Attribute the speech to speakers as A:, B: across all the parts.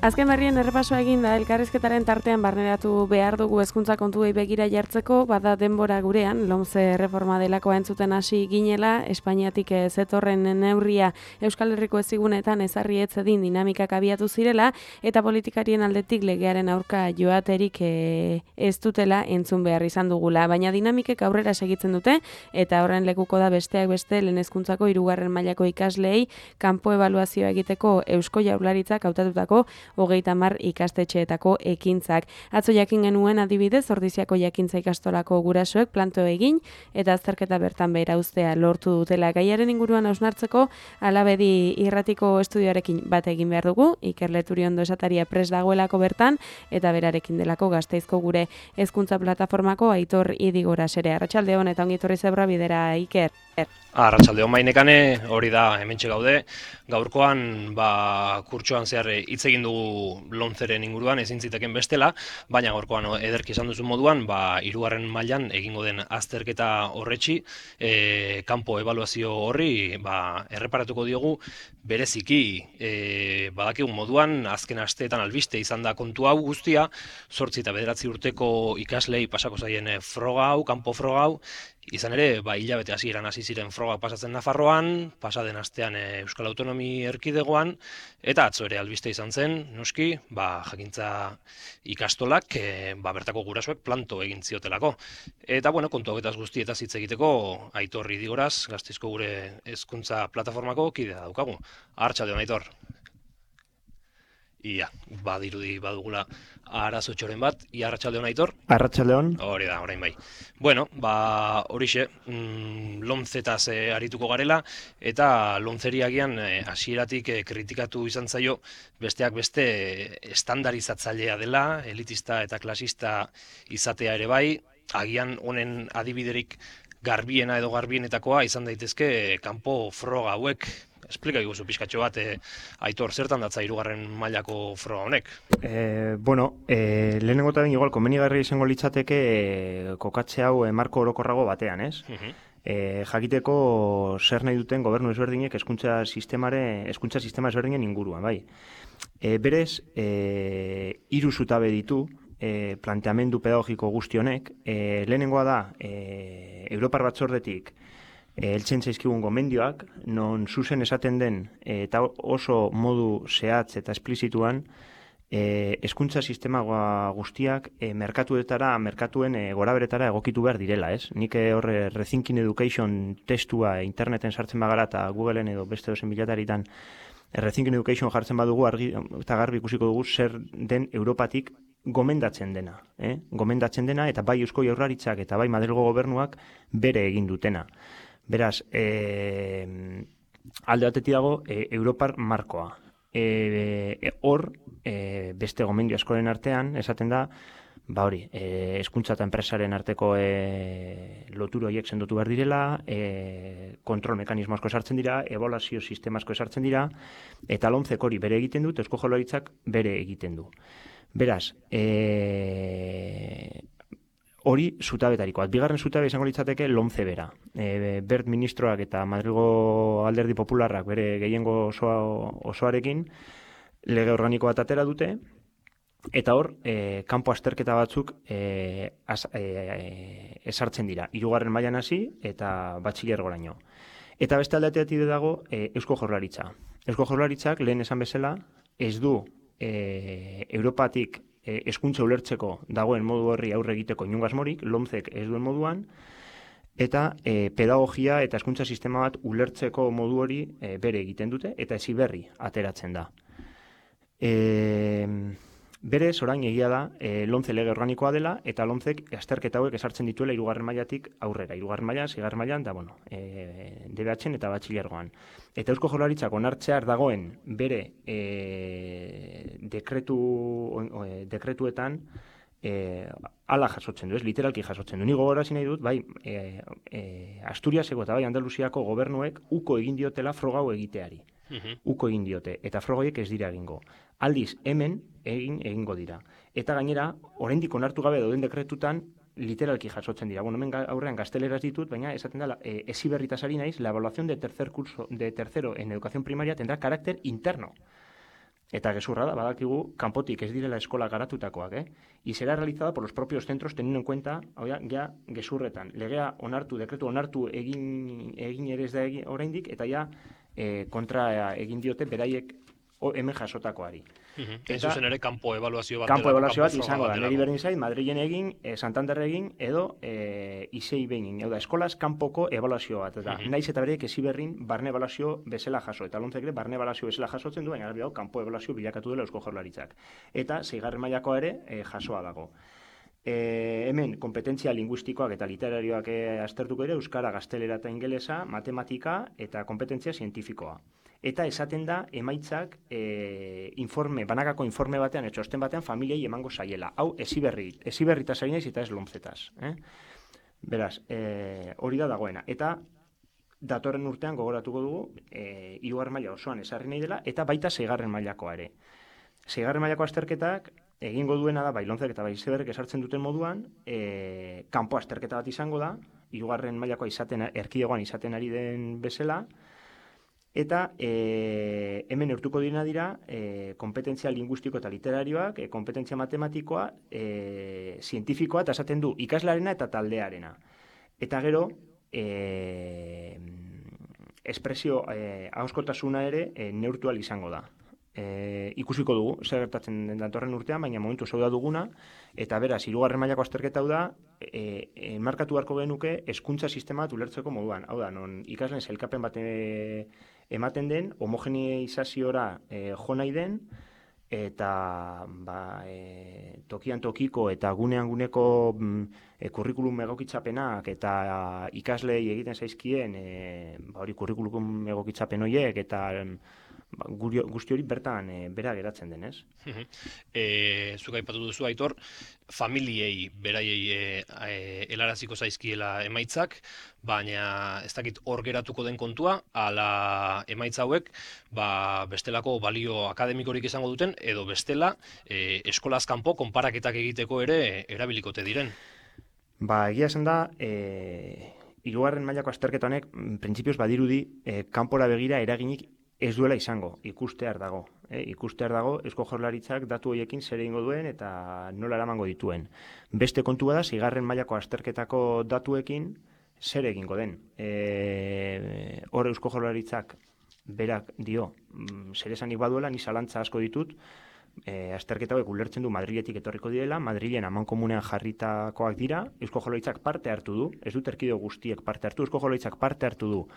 A: Azken berrien errepasoa egin da elkarrizketaren tartean barneratu behar dugu hezkuntza kontuei begira jartzeko, bada denbora gurean, LOMCE reforma delakoa entzuten hasi ginela, Espainiatik zetorren neurria Euskal Herriko ezigunetan ezarri etzedin dinamikak abiatu zirela, eta politikarien aldetik legearen aurka joaterik ez dutela entzun behar izan dugula. Baina dinamikek aurrera segitzen dute, eta horren lekuko da besteak beste lehen hezkuntzako 3. mailako ikasleei kanpo ebaluazioa egiteko Eusko Jaurlaritzak hautatutako 30 ikastetxeetako ekintzak. Atzo jakin genuen adibidez, Ordiziako jakintza ikastolako gurasoek planto egin eta azterketa bertan behera uztea lortu dutela. Gaiaren inguruan hausnartzeko Alabedi irratiko estudioarekin bat egin behar dugu, Iker Leturiondo esataria prest dagoelako bertan, eta berarekin delako Gasteizko gure hezkuntza plataformako Aitor Idigora sere. Arratsaldeon eta ongi etorri zebra bidera, Iker.
B: Arratsaldeon mainekane, hori da hementxe gaude. Gaurkoan kurtsoan zehar hitz egin dugu LOMCEren inguruan, ezin ziteken bestela, baina gaurkoan ederki esan duzun moduan, 3. mailan egingo den azterketa horretxi, kanpo ebaluazio horri erreparatuko diogu bereziki badakigun moduan, azken asteetan albiste izan da kontu hau guztia, 8 eta 9 urteko ikaslei pasako zaien froga hau, kanpo froga hau, izan ere, hilabete hasieran hasi ziren frogak pasatzen Nafarroan, pasaden astean Euskal Autonomi Erkidegoan, eta atzo ere albiste izan zen, noski, jakintza ikastolak, bertako gurasoek planto egin ziotelako. Eta, kontu hauetaz guztietaz hitz egiteko, Aitor Idigoraz, Gasteizko gure hezkuntza plataformako kidea daukagu. Arratsaldeon, Aitor. Ia, badirudi badugula arazotxoren bat. Ia, arratsaldeon, Aitor?
C: Arratsaldeon.
B: Hori da, orain bai. Bueno, horixe, LOMCEtaz arituko garela, eta LOMCEri agian hasieratik kritikatu izan zaio besteak beste estandarizatzailea dela, elitista eta klasista izatea ere bai, agian honen adibiderik garbiena edo garbienetakoa izan daitezke kanpo froga hauek. Esplika iguzu pixkatxo bat, Aitor, zertan datza 3. mailako froga honek?
C: Lehenengo eta igual komenigarria izango litzateke kokatze hau marko orokorrago batean, ez? Jakiteko zer nahi duten gobernu ezberdinek hezkuntza sistema ezberdinen inguruan, bai. Berez, 3 zutabe ditu planteamendu pedagogiko guzti honek. Lehenengoa da, Europar Batzordetik heltzen zaizkigun gomendioak, non zuzen esaten den eta oso modu zehatz eta esplizituan hezkuntza sistema guztiak merkatuen goraberetara egokitu behar direla, ez? Nik horre Rethinking Education testua interneten sartzen bagara eta Googleen edo beste dozen bilataritan Rethinking Education jartzen badugu eta garbi ikusiko dugu zer den Europatik gomendatzen dena. Gomendatzen dena eta bai Eusko Jaurlaritzak eta bai Madrilgo gobernuak bere egin dutena. Beraz, alde batetik dago Europar markoa. Hor, beste gomendio askoren artean, esaten da, hezkuntza eta enpresaren arteko lotura horiek sendotu behar direla, kontrol mekanismo asko esartzen dira, ebaluazio sistema asko esartzen dira, eta LOMCEk hori bere egiten du, eta Eusko Jaurlaritzak bere egiten du. Beraz, hori zutabetariko. Bigarren zutabe izango litzateke LOMCE bera. Bert ministroak eta Madrilgo Alderdi Popularrak bere gehiengo osoarekin lege organiko bat atera dute, eta hor, kanpo azterketa batzuk esartzen dira. 3. mailan hasi eta batxilergoraino. Eta beste aldeatetik dago Eusko Jaurlaritza. Eusko Jaurlaritzak lehen esan bezala ez du Europatik hezkuntza ulertzeko dagoen modu horri aurre egiteko inongo asmorik, LOMCEk ez duen moduan, eta pedagogia eta hezkuntza sistema bat ulertzeko modu hori bere egiten dute, eta heziberri ateratzen da. Berez, orain egia da, LOMCE lege organikoa dela, eta LOMCEk azterketa hauek esartzen dituela 3. mailatik aurrera. 3. mailan, 6. mailan, da, DBH-en eta batxilergoan. Eta Eusko Jaurlaritzak onartzear dagoen bere dekretuetan ala jasotzen du, literalki jasotzen du. Ni gogorarazi nahi dut, bai, Asturiaseko eta bai Andaluziako gobernuek uko egin diotela froga hau egiteari. Uko egin diote, eta frogoiek ez dira egingo. Aldiz, hemen egingo dira. Eta gainera, oraindik onartu gabe dauden dekretutan, literalki jasotzen dira. Hemen aurrean gazteleraz ditut, baina esaten dela, heziberritaz ari naiz, la evaluación de tercero en educación primaria tendrá carácter interno. Eta gezurra da, badakigu, kanpotik ez direla eskola garatutakoak, Y será realizada por los propios centros teniendo en cuenta, ja, gezurretan. Legea onartu, dekretu onartu egin ere ez da oraindik, eta ja kontra egin diote beraiek hemen jasotakoari.
B: Zuzen ere, kanpo ebaluazio bat.
C: Kanpo ebaluazio bat izango da. Neri berdin zait, Madrilen egin, Santander egin, edo Isei behin. Hau da, eskolaz kanpoko ebaluazio bat. Naiz eta bereik Heziberrin barne ebaluazio bezala jaso. Eta lontzek ere barne ebaluazio bezala jasotzen duen, gara kanpo ebaluazio bilakatu dela Eusko Jaurlaritzak. Eta 6. mailakoa ere jasoa dago. Hemen, kompetentzia linguistikoak eta literarioak aztertuko ere, euskara, gaztelera eta ingelesa, matematika eta kompetentzia zientifikoa. Eta esaten da, emaitzak banakako informe batean, txosten batean, familiei emango zaiela. Hau, Heziberritaz ari naiz eta ez lomzetaz. Beraz, hori da dagoena. Eta datorren urtean gogoratuko dugu, 3. maila osoan esarri nahi dela, eta baita 6. mailakoa ere. 6. mailako azterketak, egingo duena da, bai lontzek eta bai Heziberrik esartzen duten moduan, kanpo azterketa bat izango da, 3. mailakoa erkidegoan izaten ari den bezala, eta hemen neurtuko dira kompetentzia linguistiko eta literarioak, kompetentzia matematikoa, zientifikoa, eta esaten du ikaslearena eta taldearena. Eta gero, espresio ahoskotasuna ere neurtu ahal izango da. Ikusiko dugu, zer gertatzen den datorren urtean, baina momentu zeu da duguna, eta beraz, 3. mailako azterketa hau da, markatu beharko genuke hezkuntza sistema bat ulertzeko moduan. Hau da, non ikasleen sailkapen bat ematen den, homogeneizaziora jo nahi den, eta tokian tokiko eta gunean guneko kurrikulum egokitzapenak eta ikaslei egiten zaizkien kurrikulum egokitzapen horiek eta guzti hori bertan bera geratzen denez.
B: Zuk aipatu duzu, Aitor, familiei beraiei helaraziko zaizkiela emaitzak, baina ez dakit hor geratuko den kontua, ala emaitza hauek bestelako balio akademikorik izango duten, edo bestela eskolaz kanpo konparaketak egiteko ere erabilikote diren.
C: Egia esan da, 3. mailako azterketa honek, printzipioz badirudi, kanpora begira eraginik ez duela izango, ikustear dago. Ikustear dago, Eusko Jaurlaritzak datu horiekin zer egingo duen eta nola eramango dituen. Beste kontua da, 6. mailako azterketako datuekin zer egingo den. Hor Eusko Jaurlaritzak berak dio, zer esanik baduela, ni zalantza asko ditut, azterketa hauek ulertzen du Madriletik etorriko direla, Madrilen amankomunean jarritakoak dira, Eusko Jaurlaritzak parte hartu du, ez dut erkidego guztiek parte hartu, Eusko Jaurlaritzak parte hartu du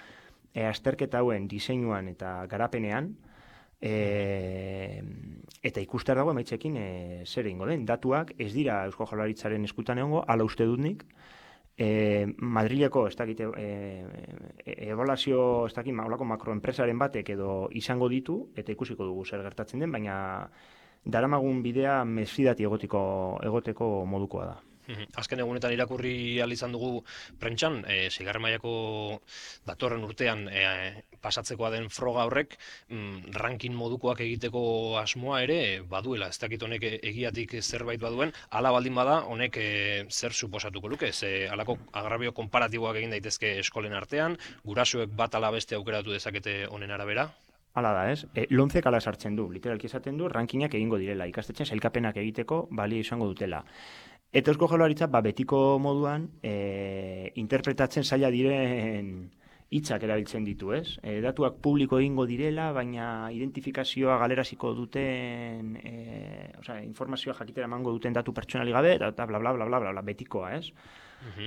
C: azterketa hauen diseinuan eta garapenean, eta ikustear dago emaitzekin zer egingo den. Datuak ez dira Eusko Jaurlaritzaren eskutan egongo, hala uste dut nik, Madrileko ebaluazio olako makroenpresaren batek edo izango ditu, eta ikusiko dugu zer gertatzen den, baina daramagun bidea mesfidati egoteko modukoa da.
B: Azken egunetan irakurri ahal izan dugu prentsan, 6. mailako datorren urtean pasatzekoa den froga horrek ranking modukoak egiteko asmoa ere baduela. Ez dakit honek egiatik zerbait baduen, hala baldin bada honek zer suposatuko luke, halako agrabio konparatiboak egin daitezke eskolen artean, gurasoek bat ala beste aukeratu dezakete honen arabera?
C: Hala da, ez? Lontzek ala sartzen du, literalki esaten du, rankinak egingo direla, ikastetxean sailkapenak egiteko balio izango dutela. Eta Eusko Jaurlaritza betiko moduan interpretatzen zaila diren hitzak erabiltzen ditu, ez? Datuak publiko egingo direla, baina identifikazioa galeraziko duten, informazioa jakitera emango duten datu pertsonali gabe, eta bla bla bla bla bla betikoa, ez?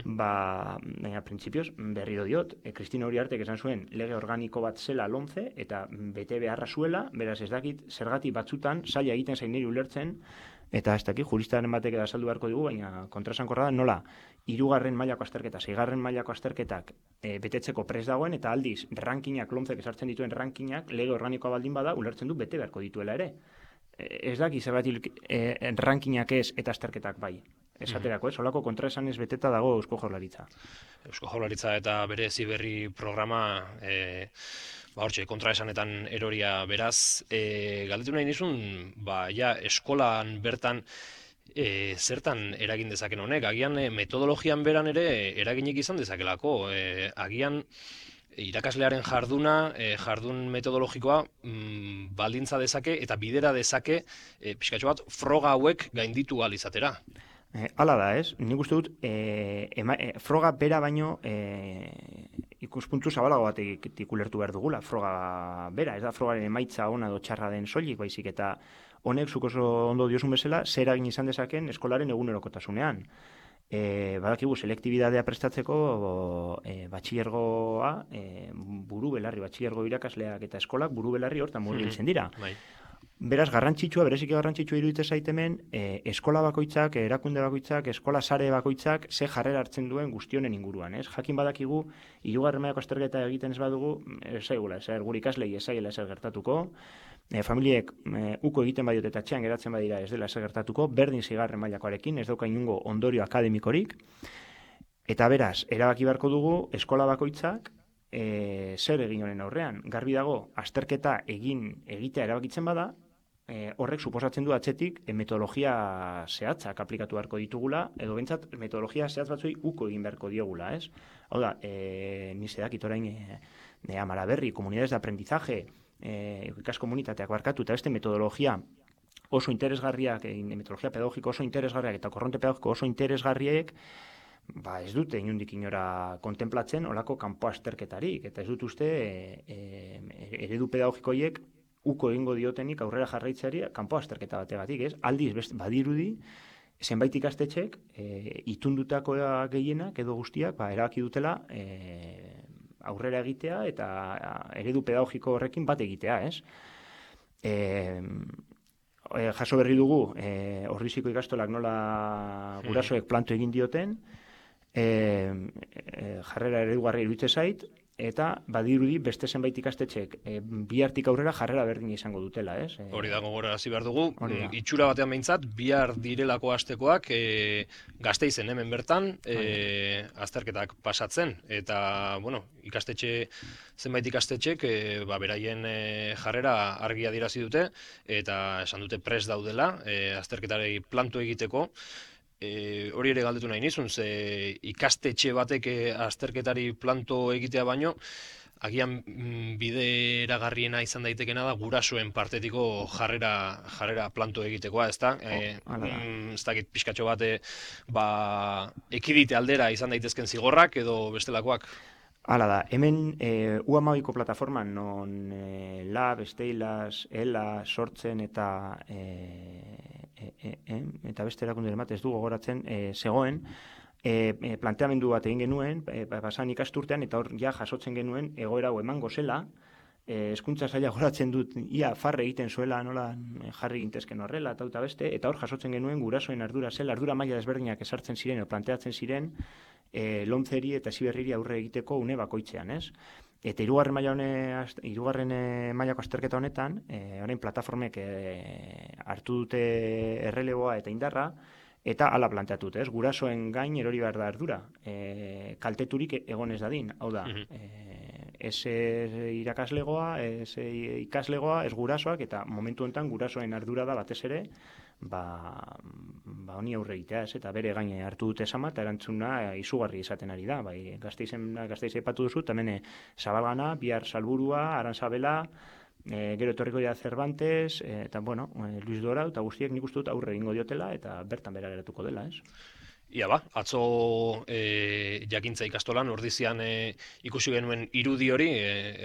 C: Baina printzipioz berriro diot, Kristina Uriartek esan zuen lege organiko bat zela LOMCE eta bete beharra zuela, beraz ez dakit zergatik batzutan zaila egiten zain niri ulertzen, eta ez dakit juristaren batek azaldu beharko dugu, baina kontraesankorra da nola 3. mailako azterketa, 6. mailako azterketak betetzeko prest dagoen, eta aldiz rankinak, LOMCek esartzen dituen rankinak, lege organikoa baldin bada, ulertzen du bete beharko dituela ere. Ez dakit zergatik rankinak ez eta azterketak bai. Esaterako, holako kontraesanez beteta dago Eusko Jaurlaritza.
B: Eusko Jaurlaritza eta bere Heziberri programa hortxe, kontraesanetan eroria beraz. Galdetu nahi nizun, eskolan bertan zertan eragin dezaken honek, agian metodologian beran ere eraginik izan dezakelako, agian irakaslearen jarduna, jardun metodologikoa baldintza dezake eta bidera dezake pixkatxo bat froga hauek gainditu ahal izatera.
C: Hala da, ez? Nik uste dut, froga bera baino ikuspuntu zabalago batetik ulertu behar dugula, froga bera, ez da frogaren emaitza ona edo txarra den soilik, baizik eta honek zuk oso ondo diosun bezala, zer eragin izan dezaken eskolaren egunerokotasunean. Badakigu selektibidadea prestatzeko batxilergoa, buru belarri, batxilergo irakasleak eta eskolak buru belarri hortan murgiltzen dira. Beraz, bereziki garrantzitsua iruditzen zait hemen, eskola bakoitzak, erakunde bakoitzak, eskola sare bakoitzak, ze jarrera hartzen duen guztionen inguruan, ez? Jakin badakigu, hirugarren mailako azterketa egiten ez badugu, gure ikaslei ez zaiela ezer gertatuko, familiek uko egiten badiote eta txean geratzen badira ez dela ezer gertatuko, berdin zigarren mailakoarekin, ez dauka inungo ondorio akademikorik, eta beraz, erabaki beharko dugu, eskola bakoitzak, zer egin honen aurrean. Garbi dago, azterketa egitea erabakitzen bada, horrek suposatzen du atzetik metodologia zehatzak aplikatu beharko ditugula, edo bentsat metodologia zehatz batzuei uko egin beharko diogula, ez? Hau da, nizedakit orain Amara Berri, komunidades de aprendizaje, ikaskomunitateak barkatu, eta beste metodologia oso interesgarriak, metodologia pedagogiko oso interesgarriak eta korronte pedagogiko oso interesgarriek, ez dute inundik inora kontemplatzen olako kanpo azterketarik, eta ez dut uste eredu pedagogikoiek uko egingo diotenik aurrera jarraitzeari kanpo azterketa bategatik, ez? Aldiz, badirudi, zenbait ikastetxek itundutako gehienak edo guztiak erabaki dutela aurrera egitea eta eredu pedagogiko horrekin bat egitea, ez? Jaso berri dugu, Orriziko ikastolak nola gurasoek planto egin dioten, jarrera eredugarria iruditzen zait, eta badirudi beste zenbait ikastetxek bihartik aurrera jarrera berdin izango dutela, ez?
B: Hori da gogorarazi behar dugu, itxura batean behintzat, bihar direlako astekoak Gasteizen hemen bertan azterketak pasatzen, eta, zenbait ikastetxek beraien jarrera argi adierazi dute, eta esan dute prest daudela azterketari planto egiteko. Hori ere galdetu nahi nizun, ze ikastetxe batek azterketari planto egitea baino, agian bideragarriena izan daitekena da gurasoen partetiko jarrera planto egitekoa, ezta? Ez dakit pixkatxo bat ekidite aldera izan daitezken zigorrak edo bestelakoak?
C: Hala da, hemen U12ko plataforman non Lab, Steilas, ELA, Sortzen eta beste erakunde bat ez du gogoratzen zegoen, planteamendu bat egin genuen, pasan ikasturtean, eta hor ja jasotzen genuen egoera hau emango zela, hezkuntza saila goratzen dut, ia farre egiten zuela, nola jarri gintezken horrela, eta beste, eta hor jasotzen genuen gurasoen ardura zela, ardura maila desberdinak esartzen ziren, planteatzen ziren, lomzeri eta ziberriri aurre egiteko une bakoitzean, ez? Eta hirugarren mailako azterketa honetan, orain plataformek hartu dute erreleboa eta indarra, eta hala planteatut, ez? Gurasoen gain erori behar da ardura, kalteturik egon ez dadin, hau da, ez irakaslegoa, ez ikaslegoa, ez gurasoak, eta momentu honetan gurasoen ardura da batez ere, honi aurre egitea, ez? Eta bere gaine hartu dute esama, eta erantzuna izugarri izaten ari da, Gasteiz aipatu duzu, hemen Zabalgana, bihar Salburua, Arantzabela, gero etorriko dira Cervantes, eta Luis Dora, eta guztiek nik uste dut aurre egingo diotela, eta bertan bera geratuko dela, ez?
B: Ia atzo jakintza ikastolan, ordizian ikusi genuen irudi hori,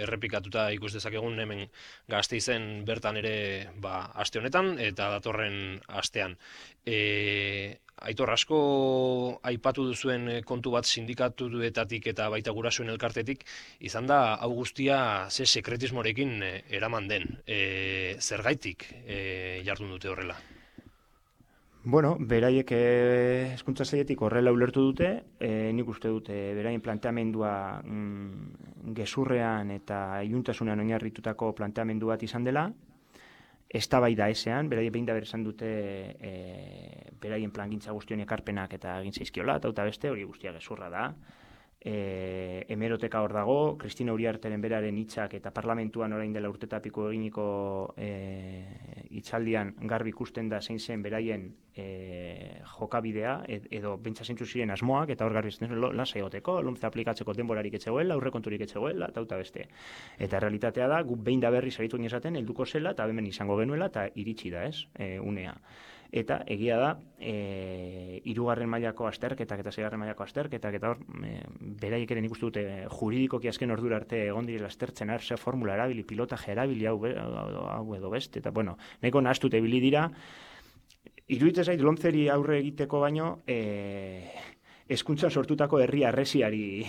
B: errepikatuta ikus dezakegun hemen Gasteizen bertan ere aste honetan eta datorren astean. Aitor, asko aipatu duzuen kontu bat sindikatuetatik eta baita gurasoen elkartetik, izan da hau guztia ze sekretismorekin eraman den. Zergaitik jardun dute horrela?
C: Beraiek hezkuntza sailetik horrela ulertu dute, nik uste dute beraien planteamendua gezurrean eta iluntasunean oinarritutako planteamendu bat izan dela, eztabaida ezean, beraiek behin da esan dute beraien plangintza guztion ekarpenak eta egin zaizkiola, eta beste hori guztia gezurra da. Hemeroteka hor dago, Kristina Uriarteren beraren hitzak eta parlamentuan orain dela urtetapiko eginiko itzaldian garbi ikusten da zein zen beraien jokabidea, edo bentsa zeintzu ziren asmoak, eta hor garbi ikusten lasa egoteko, lomce aplikatzeko denborarik etzegoela, aurrekonturik etzegoela, eta beste. Eta realitatea da, gu behin da berri zaritu esaten, helduko zela, eta hemen izango genuela, eta iritsi da, unea. Eta egia da, 3. mailako azterketak eta 6. mailako azterketak, eta hor, beraiek ere nik uste dute juridikoki azken ordura arte egon direla aztertzen, ze formula erabili, pilotaje erabili, hau edo beste, eta bueno, nahiko nahastute ibili dira, iruditzen zait lomceri aurre egiteko baino, hezkuntzan sortutako herri harresiari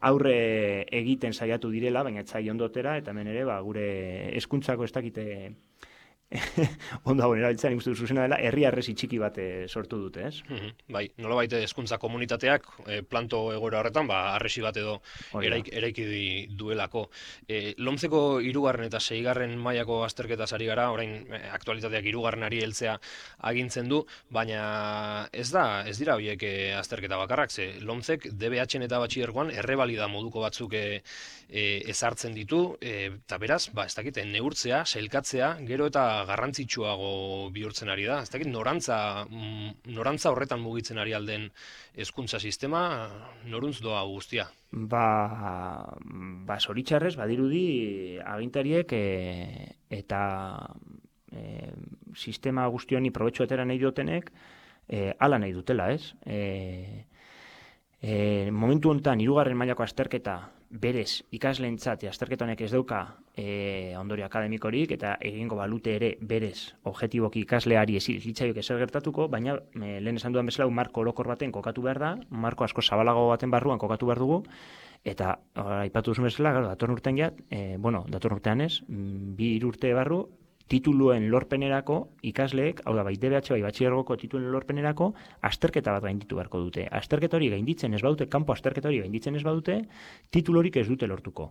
C: aurre egiten saiatu direla, baina etzai ondotera, eta hemen ere, gure hezkuntzako ez dakite ondo hauen erabiltzen, ikustu zuzena dela, herri harresi txiki bat sortu dute, ez?
B: Bai, nolabait hezkuntza komunitateak planto egoera horretan, harresi bat edo eraiki duelako. Lomceko 3. eta 6. mailako azterketaz ari gara, orain aktualitateak 3. heltzea agintzen du, baina ez dira horiek azterketa bakarrak, ze Lomcek DBH-en eta batxilergoan errebalida moduko batzuk ezartzen ditu, eta beraz, ez dakit, neurtzea, sailkatzea, gero eta garrantzitsuago bihurtzen ari da. Ez dakit, norantza horretan mugitzen ari alden hezkuntza sistema, noruntz doa guztia?
C: Zoritxarrez, badirudi agintariek eta sistema guzti honi probetxo atera nahi dutenek, hala nahi dutela, ez? Momentu honetan 3. mailako azterketa berez ikasleentzat azterketa honek ez dauka ondorio akademikorik eta egingo balute ere berez objektiboki ikasleari hitzaioek ezer gertatuko, baina lehen esan dudan bezala marko orokor baten kokatu behar da, marko asko zabalago baten barruan kokatu behar dugu, eta aipatu duzun bezala, datorren urtean ez, 2 urte barru, tituluen lorpenerako ikasleek, hau da, bai DBH, bai batxilergoko tituluen lorpenerako, azterketa bat gainditu beharko dute. Azterketa hori gainditzen ez badute, kanpo azterketa hori gainditzen ez badute, titulorik ez dute lortuko.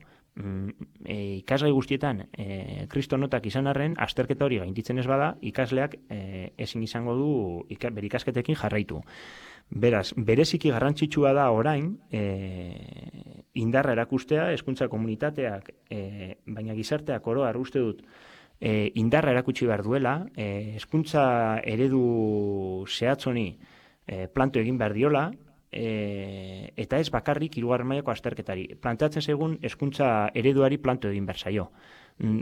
C: Ikasgai guztietan, kristonotak izan arren, azterketa hori gainditzen ez bada, ikasleak ezin izango du bere ikasketekin jarraitu. Beraz, bereziki garrantzitsua da orain, indarra erakustea, hezkuntza komunitateak, baina gizarteak oro har uste dut, indarra erakutsi behar duela, hezkuntza eredu zehatz honi planto egin behar diola, eta ez bakarrik 3. mailako azterketari. Planteatzen zaigun hezkuntza ereduari planto egin behar zaio.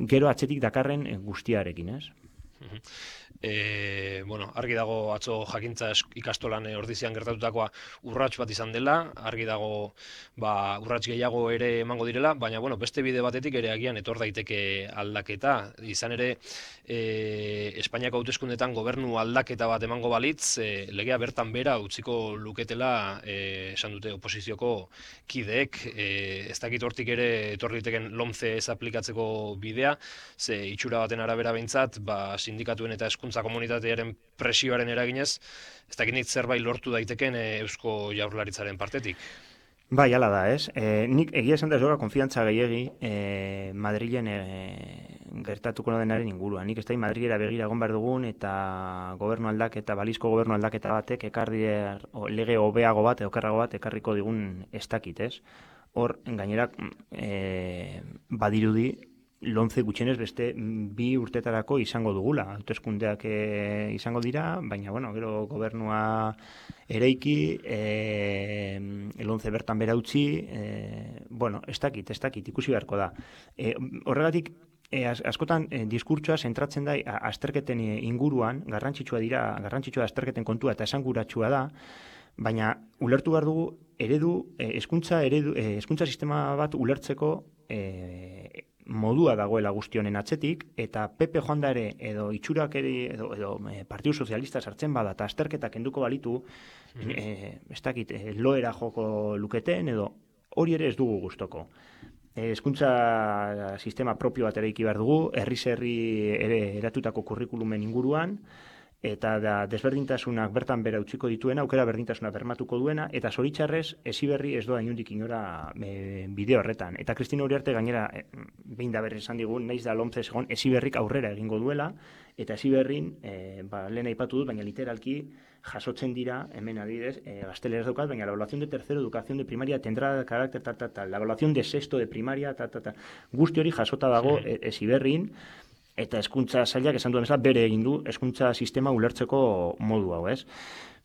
C: Gero atzetik dakarren guztiarekin, ez?
B: Argi dago atzo jakintza ikastolan ordizian gertatutakoa urrats bat izan dela, argi dago urrats gehiago ere emango direla, baina beste bide batetik ere agian etor daiteke aldaketa. Izan ere, Espainiako hauteskundetan gobernu aldaketa bat emango balitz, legea bertan bera utziko luketela esan dute oposizioko kideek, ez dakit hortik ere etor daiteken Lomce ez aplikatzeko bidea, ze itxura baten arabera behintzat, sindikatuen eta hezkuntza komunitatearen presioaren eraginez, ez dakit zerbait lortu daiteken Eusko Jaurlaritzaren partetik.
C: Bai, hala da, ez? Nik egia esan da ez doga konfiantza gehiegi Madrilen gertatuko denaren inguruan. Nik ez da Madrilera begira egon behar dugun eta gobernu aldaketa, balizko gobernu aldaketa batek lege hobeago bat, okerrago bat ekarriko digun ez dakit, ez? Hor, gainera, badirudi, Lomce gutxienez beste 2 urtetarako izango dugula. Hauteskundeak izango dira, baina, gero gobernua ereiki, Lomce bertan bera utzi, ez dakit, ikusi beharko da. Horregatik, askotan diskurtsoa zentratzen da azterketen inguruan, garrantzitsua da azterketen kontua eta esanguratsua da, baina ulertu behar dugu hezkuntza sistema bat ulertzeko modua dagoela guzti honen atzetik, eta PP joan da ere, edo itxurak ere, edo Partidu Sozialista sartzen bada, eta azterketak kenduko balitu, ez dakit, loera joko luketen, edo hori ere ez dugu gustoko. Hezkuntza sistema propio bat ere behar dugu, herri ere eratutako kurrikulumen inguruan, eta desberdintasunak bertan bera utziko dituena, aukera berdintasuna bermatuko duena, eta zoritxarrez, Heziberri ez doa inundik inora bide horretan. Eta Kristina Uriarte gainera, behin da berri esan digun, naiz da Lomce egon, Heziberrik aurrera egingo duela, eta Heziberrin, lehen aipatu dut, baina literalki jasotzen dira, hemen adibidez, gazteleraz daukat, baina la evaluación de tercero, educación de primaria, tendrá carácter, la evaluación de sexto de primaria, guzti hori jasota dago Heziberrin, Eta hezkuntza sailak esan duen bezala bere egin du hezkuntza sistema ulertzeko modu hau, ez?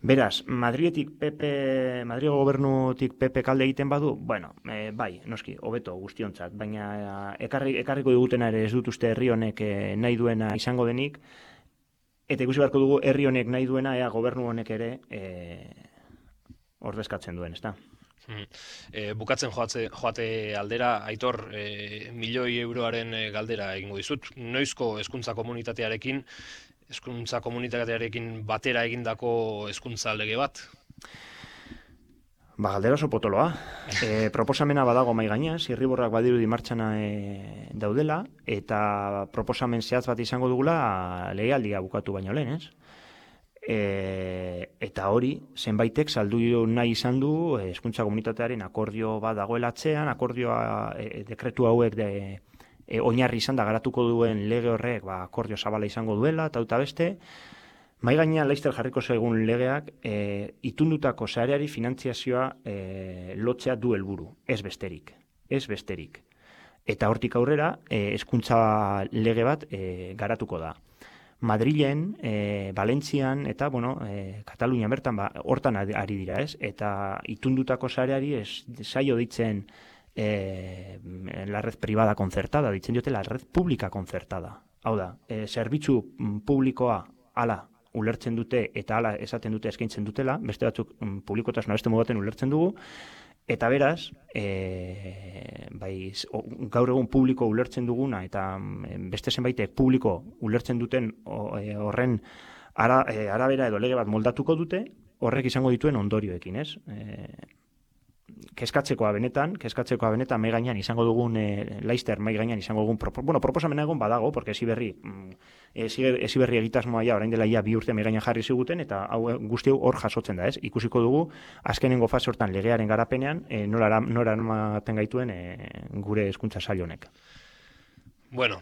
C: Beraz, Madrilgo gobernutik PP kalde egiten badu, bueno, bai, noski, hobeto guztiontzat, baina ekarriko digutena ere ez dut uste herri honek nahi duena izango denik, eta ikusi beharko dugu herri honek nahi duena, ea gobernu honek ere ordezkatzen duen, ezta?
B: Bukatzen joate aldera, Aitor, milioi euroaren galdera egingo dizut. Noizko hezkuntza komunitatearekin batera egindako hezkuntza lege bat?
C: Galdera oso potoloa. Proposamena badago mahai gainean, zirriborrak badirudi martxana daudela, eta proposamen zehatz bat izango dugula legealdia bukatu baino lehen, ez? Eta hori, zenbaitek saldu nahi izan du hezkuntza komunitatearen akordio bat dagoela atzean, akordioa dekretu hauek oinarri izan da garatuko duen lege horrek akordio zabala izango duela, eta beste, mahai gainean laizter jarriko zaigun legeak itundutako sareari finantziazioa lotzea du helburu, ez besterik. Eta hortik aurrera, hezkuntza lege bat garatuko da. Madrilen, Valentzian eta, Katalunia bertan hortan ari dira, ez? Eta itundutako sareari zaio ditzen la red privada concertada, ditzen diote la red pública concertada. Hau da, zerbitzu publikoa hala ulertzen dute eta hala esaten dute eskaintzen dutela, beste batzuk publikotasuna beste modaten ulertzen dugu, eta beraz, gaur egun publiko ulertzen duguna eta beste zenbaitek publiko ulertzen duten horren arabera edo lege bat moldatuko dute, horrek izango dituen ondorioekin, ez? Kezkatzekoa benetan, mai gainean izango dugun, laizter mai gainean izango dugun, proposamena egon badago, porque Heziberri egitasmoa orain dela 2 urte mai gainean jarri ziguten, eta guzti hau hor jasotzen da, ez? Ikusiko dugu, azkenengo fase hortan legearen garapenean, nora eramaten gaituen gure hezkuntza sail honek.
B: Bueno,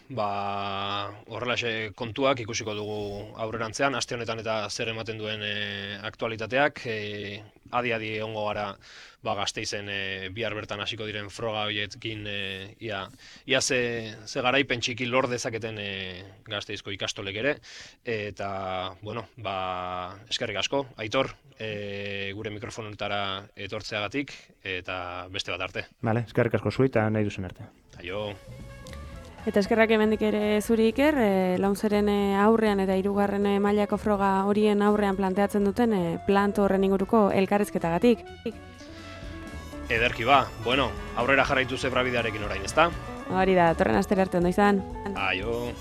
B: horrelaxe kontuak ikusiko dugu aurrerantzean, aste honetan eta zer ematen duen aktualitateak, adi ongo gara Gasteizen bihar bertan hasiko diren froga horiekin ia ze garaipen txiki lor dezaketen Gasteizko ikastolek ere, eta, eskerrik asko, Aitor, gure mikrofonetara etortzeagatik, eta beste bat arte.
C: Vale, eskerrik asko zui eta nahi duzen arte.
B: Aio.
A: Eta eskerrak hemendik ere zuri Iker, Launzeren aurrean eta 3. mailako froga horien aurrean planteatzen duten planto horren inguruko elkarrizketagatik.
B: Ederki aurrera jarraitu zebrabidearekin orain, ezta?
A: Hori da, torren astera arte ondo izan.
B: Aio.